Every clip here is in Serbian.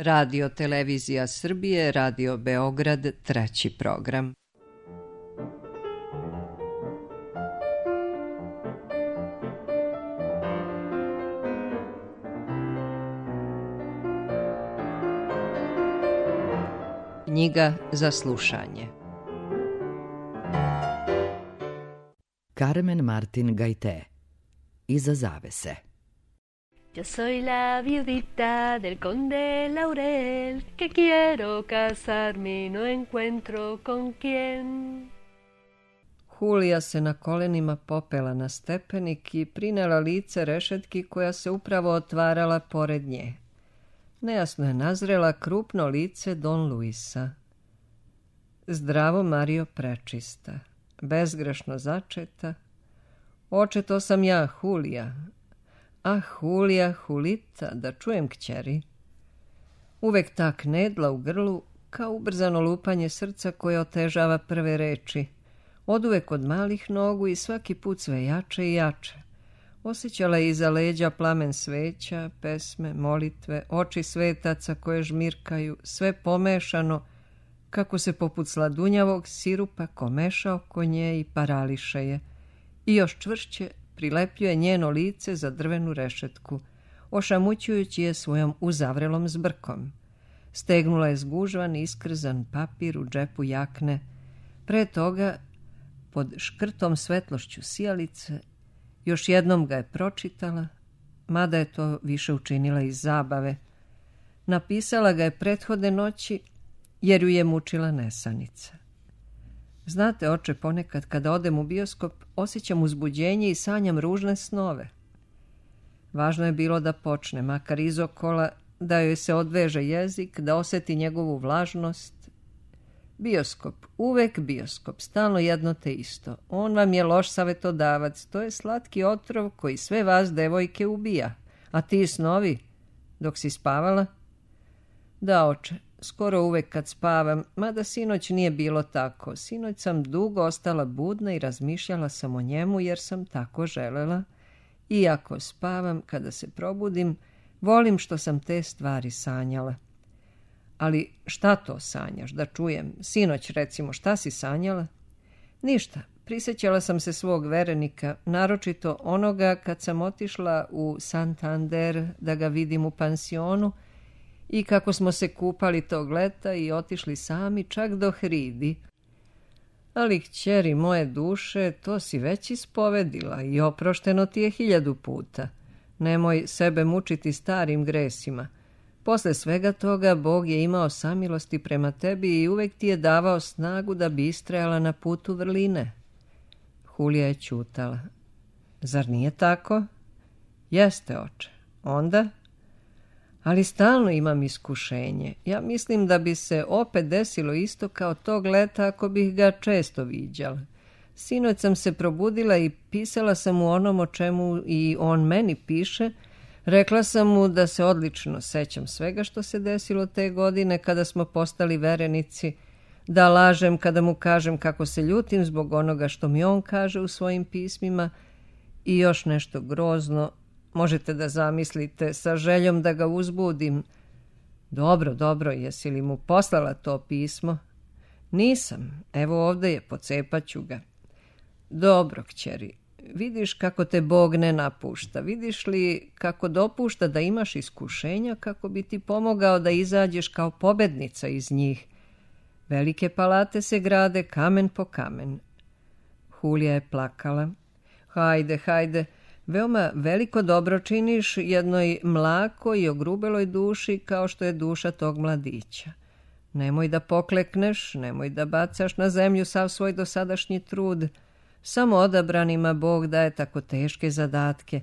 Radio Televizija Srbije, Radio Beograd, 3. program. Knjiga za slušanje. Carmen Martin Gaité. Iza zavese. Yo soy la viudita del conde Laurel, que quiero casarme y no encuentro con quién. Hulija se na kolenima popela na stepenik i prinela lice rešetki koja se upravo otvarala pored nje. Nejasno je nazrela krupno lice Don Luisa. Zdravo, Mario, prečista, bezgrešno začeta. Oče, to sam ja, Hulija. Ah, Hulija, Hulita, da čujem kćeri. Uvek ta knedla u grlu, kao ubrzano lupanje srca koje otežava prve reči. Oduvek od malih nogu i svaki put sve jače i jače. Osjećala je iza leđa plamen sveća, pesme, molitve, oči svetaca koje žmirkaju, sve pomešano, kako se poput sladunjavog sirupa komeša oko nje i parališe je. I još čvršće prilepljuje njeno lice za drvenu rešetku, ošamućujući je svojom uzavrelom zbrkom. Stegnula je zgužvan i iskrzan papir u džepu jakne. Pre toga, pod škrtom svetlošću sijalice, još jednom ga je pročitala, mada je to više učinila iz zabave. Napisala ga je prethodne noći, jer ju je mučila nesanica. Znate, oče, ponekad kada odem u bioskop, osjećam uzbuđenje i sanjam ružne snove. Važno je bilo da počne, makar izokola, da joj se odveže jezik, da osjeti njegovu vlažnost. Bioskop, uvek bioskop, stalno jedno te isto. On vam je loš savetodavac, to je slatki otrov koji sve vas, devojke, ubija. A ti snovi, dok si spavala? Da, oče, skoro uvek kad spavam, mada sinoć nije bilo tako. Sinoć sam dugo ostala budna i razmišljala sam o njemu jer sam tako želela. Iako spavam, kada se probudim, volim što sam te stvari sanjala. Ali šta to sanjaš, da čujem? Sinoć, recimo, šta si sanjala? Ništa. Prisjećala sam se svog verenika, naročito onoga kad sam otišla u Santander da ga vidim u pansionu i kako smo se kupali tog leta i otišli sami čak do Hridi. Ali, kćeri moje duše, to si već ispovedila i oprošteno ti je 1000 puta. Nemoj sebe mučiti starim gresima. Posle svega toga, Bog je imao samilosti prema tebi i uvek ti je davao snagu da bi istrajala na putu vrline. Hulija je ćutala. Zar nije tako? Jeste, oče. Onda? Ali stalno imam iskušenje. Ja mislim da bi se opet desilo isto kao tog leta ako bih ga često viđala. Sinoć sam se probudila i pisala sam mu onom o čemu i on meni piše. Rekla sam mu da se odlično sećam svega što se desilo te godine kada smo postali verenici, da lažem kada mu kažem kako se ljutim zbog onoga što mi on kaže u svojim pismima i još nešto grozno, možete da zamislite, sa željom da ga uzbudim. Dobro, jesi li mu poslala to pismo? Nisam, evo ovdje je, pocepaću ga. Dobro, kćeri. Vidiš kako te Bog ne napušta, vidiš li kako dopušta da imaš iskušenja kako bi ti pomogao da izađeš kao pobednica iz njih. Velike palate se grade kamen po kamen. Hulija je plakala. Hajde, veoma veliko dobro činiš jednoj mlakoj i ogrubeloj duši kao što je duša tog mladića. Nemoj da poklekneš, nemoj da bacaš na zemlju sav svoj dosadašnji trud. Samo odabranima Bog daje tako teške zadatke.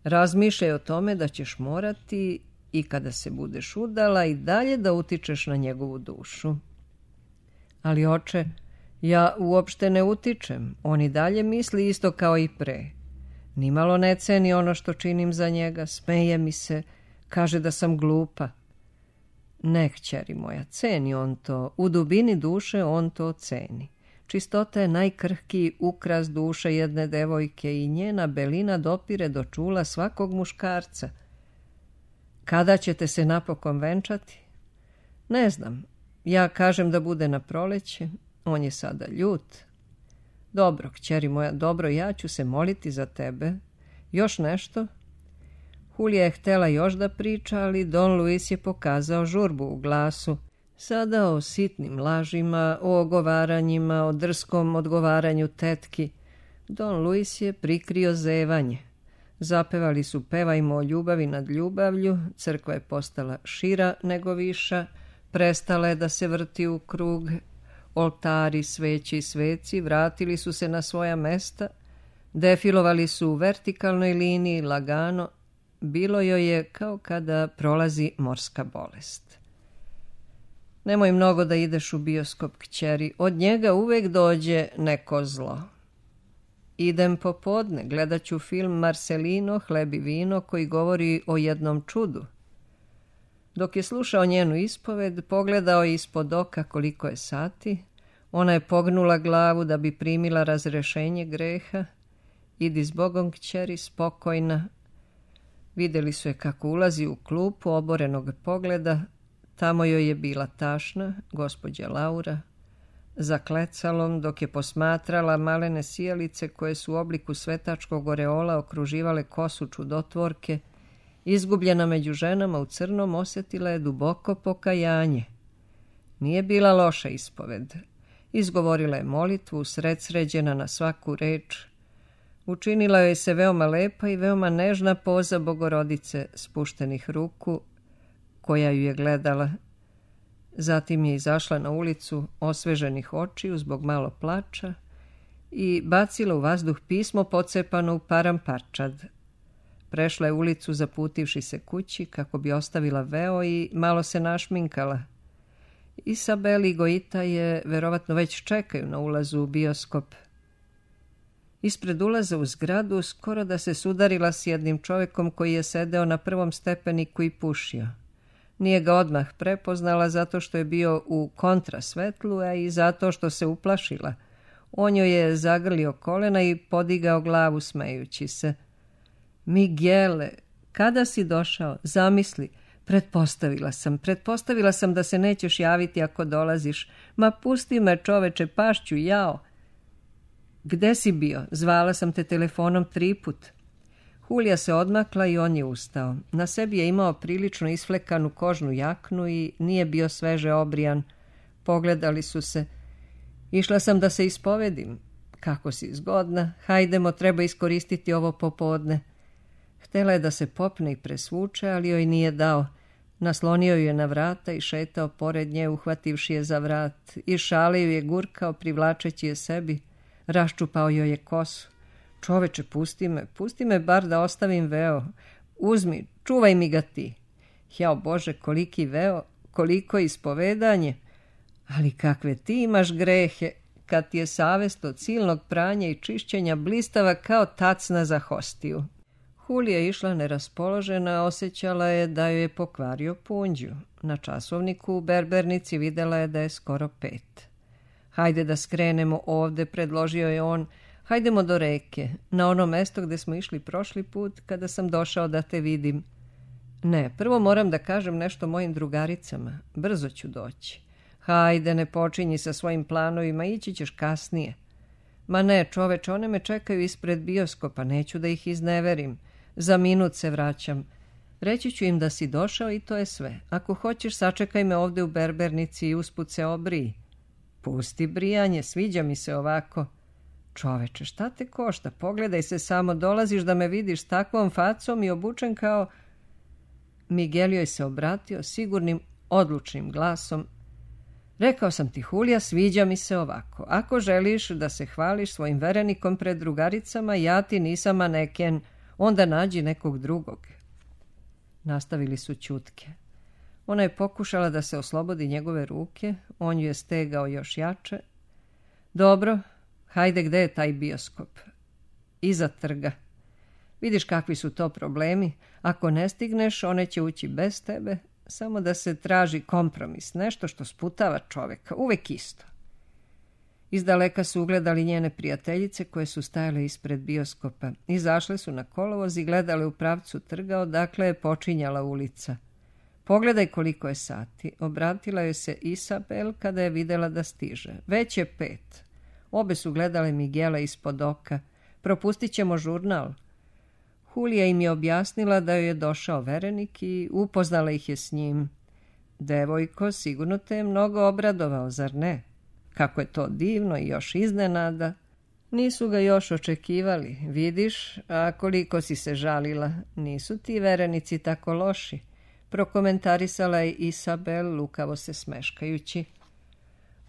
Razmišljaj o tome da ćeš morati i kada se budeš udala i dalje da utičeš na njegovu dušu. Ali, oče, ja uopšte ne utičem. On i dalje misli isto kao i pre. Nimalo ne ceni ono što činim za njega, smeje mi se, kaže da sam glupa. Ne, kćeri moja, ceni on to. U dubini duše on to ceni. Čistota je najkrhkiji ukras duše jedne devojke i njena belina dopire do čula svakog muškarca. Kada ćete se napokon venčati? Ne znam. Ja kažem da bude na proleće. On je sada ljut. Dobro, kćeri moja, dobro, ja ću se moliti za tebe. Još nešto? Julija je htjela još da priča, ali Don Luis je pokazao žurbu u glasu. Sada o sitnim lažima, o ogovaranjima, o drskom odgovaranju tetki. Don Luis je prikrio zevanje. Zapevali su Pevajmo o ljubavi nad ljubavlju, crkva je postala šira nego viša, prestala je da se vrti u krug, oltari, sveći i sveci vratili su se na svoja mesta, defilovali su u vertikalnoj liniji lagano, bilo joj je kao kada prolazi morska bolest. Nemoj mnogo da ideš u bioskop, kćeri, od njega uvek dođe neko zlo. Idem popodne, gledat ću film Marcelino, Hleb i vino, koji govori o jednom čudu. Dok je slušao njenu ispoved, pogledao je ispod oka koliko je sati. Ona je pognula glavu da bi primila razrešenje greha. Idi s Bogom, kćeri, spokojna. Vidjeli su je kako ulazi u klupu oborenog pogleda. Tamo joj je bila tašna, gospođa Laura, za klecalom, dok je posmatrala malene sijalice koje su u obliku svetačkog oreola okruživale kosu čudotvorke. Izgubljena među ženama u crnom, osjetila je duboko pokajanje. Nije bila loša ispoved. Izgovorila je molitvu, usredsređena na svaku reč. Učinila joj se veoma lepa i veoma nežna poza Bogorodice spuštenih ruku, koja ju je gledala. Zatim je izašla na ulicu osveženih očiju zbog malo plača i bacila u vazduh pismo pocepano u paramparčad. Prešla je ulicu zaputivši se kući kako bi ostavila veo i malo se našminkala. Isabel i Gojita je verovatno već čekaju na ulazu u bioskop. Ispred ulaza u zgradu skoro da se sudarila s jednim čovjekom koji je sedeo na prvom stepeniku i pušio. Nije ga odmah prepoznala zato što je bio u kontrasvetlu, a i zato što se uplašila. On joj je zagrlio kolena i podigao glavu smejući se. Miguele, kada si došao? Zamisli, pretpostavila sam da se nećeš javiti ako dolaziš. Ma pusti me, čoveče, pašću, jao. Gde si bio? Zvala sam te telefonom 3 put. Julija se odmakla i on je ustao. Na sebi je imao prilično isflekanu kožnu jaknu i nije bio sveže obrijan. Pogledali su se. Išla sam da se ispovedim. Kako si zgodna. Hajdemo, treba iskoristiti ovo popodne. Htela je da se popne i presvuče, ali joj nije dao. Naslonio ju je na vrata i šetao pored nje, uhvativši je za vrat. I šale ju je gurkao, privlačeći je sebi. Raščupao joj je kosu. Čoveče, pusti me bar da ostavim veo. Uzmi, čuvaj mi ga ti. Jao Bože, koliki veo, koliko ispovedanje. Ali kakve ti imaš grehe, kad ti je savest od silnog pranja i čišćenja blistava kao tacna za hostiju. Julija je išla neraspoložena, osjećala je da joj je pokvario punđu. Na časovniku u berbernici videla je da je skoro 5. Hajde da skrenemo ovde, predložio je on. Hajdemo do reke, na ono mesto gde smo išli prošli put kada sam došao da te vidim. Ne, prvo moram da kažem nešto mojim drugaricama. Brzo ću doći. Hajde, ne počinji sa svojim planovima, ići ćeš kasnije. Ma ne, čoveče, one me čekaju ispred bioskopa, neću da ih izneverim. Za minut se vraćam. Reći ću im da si došao i to je sve. Ako hoćeš, sačekaj me ovde u berbernici i usput se obriji. Pusti brijanje, sviđa mi se ovako. Čoveče, šta te košta? Pogledaj se samo, dolaziš da me vidiš s takvom facom i obučen kao... Miguel joj se obratio sigurnim, odlučnim glasom. Rekao sam ti, Julija, sviđa mi se ovako. Ako želiš da se hvališ svojim verenikom pred drugaricama, ja ti nisam maneken, onda nađi nekog drugog. Nastavili su ćutke. Ona je pokušala da se oslobodi njegove ruke, on ju je stegao još jače. Dobro, hajde, gde je taj bioskop? Iza trga. Vidiš kakvi su to problemi. Ako ne stigneš, one će ući bez tebe, samo da se traži kompromis, nešto što sputava čoveka, uvek isto. Izdaleka su ugledali njene prijateljice koje su stajale ispred bioskopa. Izašle su na kolovoz i gledale u pravcu trga odakle je počinjala ulica. Pogledaj koliko je sati, obratila joj se Isabel kada je videla da stiže. Već je 5. Obe su gledale Miguela ispod oka. Propustit ćemo žurnal. Julija im je objasnila da joj je došao verenik i upoznala ih je s njim. Devojko, sigurno te je mnogo obradovao, zar ne? Kako je to divno i još iznenada. Nisu ga još očekivali, vidiš, a koliko si se žalila. Nisu ti verenici tako loši, prokomentarisala je Isabel, lukavo se smeškajući.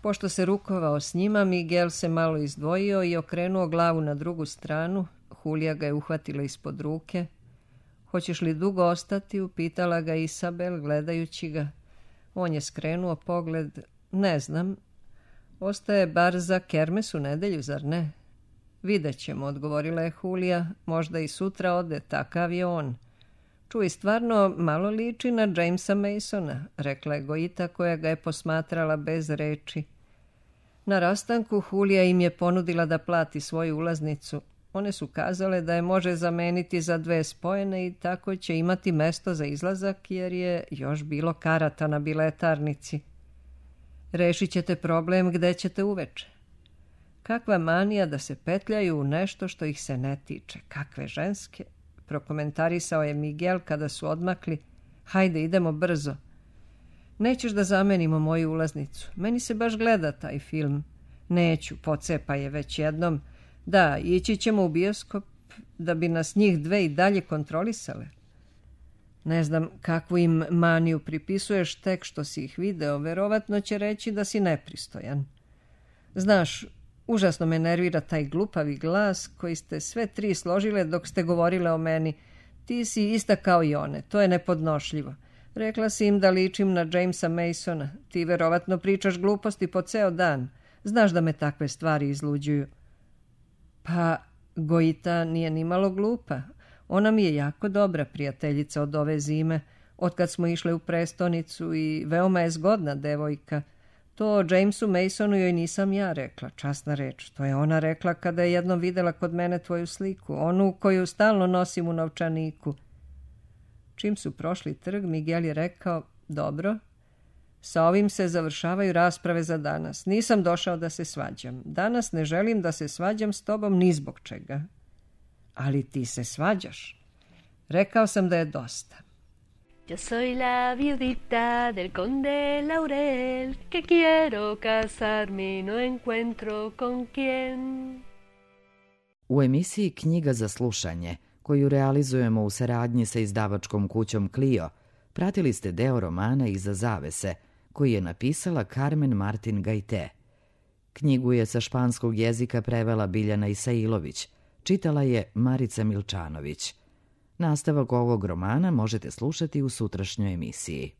Pošto se rukovao s njima, Miguel se malo izdvojio i okrenuo glavu na drugu stranu. Julija ga je uhvatila ispod ruke. Hoćeš li dugo ostati? Upitala ga Isabel, gledajući ga. On je skrenuo pogled. Ne znam. Ostaje bar za kermes u nedelju, zar ne? Vidjet ćemo, odgovorila je Julija. Možda i sutra ode, takav je on. Čuj, stvarno malo liči na Jamesa Masona, rekla je Gojita koja ga je posmatrala bez reči. Na rastanku Julija im je ponudila da plati svoju ulaznicu. One su kazale da je može zameniti za 2 spojene i tako će imati mesto za izlazak jer je još bilo karata na biletarnici. Rešit ćete problem gde ćete uveče. Kakva manija da se petljaju u nešto što ih se ne tiče. Kakve ženske, prokomentarisao je Miguel kada su odmakli. Hajde, idemo brzo. Nećeš da zamenimo moju ulaznicu. Meni se baš gleda taj film. Neću, pocepa je već jednom. Da, ići ćemo u bioskop da bi nas njih 2 i dalje kontrolisale. Ne znam kakvu im maniju pripisuješ tek što si ih video, verovatno će reći da si nepristojan. Znaš, užasno me nervira taj glupavi glas koji ste sve 3 složile dok ste govorile o meni. Ti si ista kao i one, to je nepodnošljivo. Rekla si im da ličim na Jamesa Masona. Ti verovatno pričaš gluposti po ceo dan. Znaš da me takve stvari izluđuju. Pa, Gojita nije ni malo glupa. Ona mi je jako dobra prijateljica od ove zime, otkad smo išle u prestonicu i veoma je zgodna devojka. To o Jamesu Masonu joj nisam ja rekla, časna reč. To je ona rekla kada je jednom videla kod mene tvoju sliku, onu koju stalno nosim u novčaniku. Čim su prošli trg, Miguel je rekao, dobro, sa ovim se završavaju rasprave za danas. Nisam došao da se svađam. Danas ne želim da se svađam s tobom ni zbog čega. Ali ti se svađaš. Rekao sam da je dosta. Yo soy la viudita del conde Laurel que quiero casarme y no encuentro con quién. U emisiji Knjiga za slušanje, koju realizujemo u saradnji sa izdavačkom kućom Clio, pratili ste deo romana Iza zavese, koji je napisala Carmen Martin Gajte. Knjigu je sa španskog jezika prevela Biljana Isailović, čitala je Marica Milčanović. Nastavak ovog romana možete slušati u sutrašnjoj emisiji.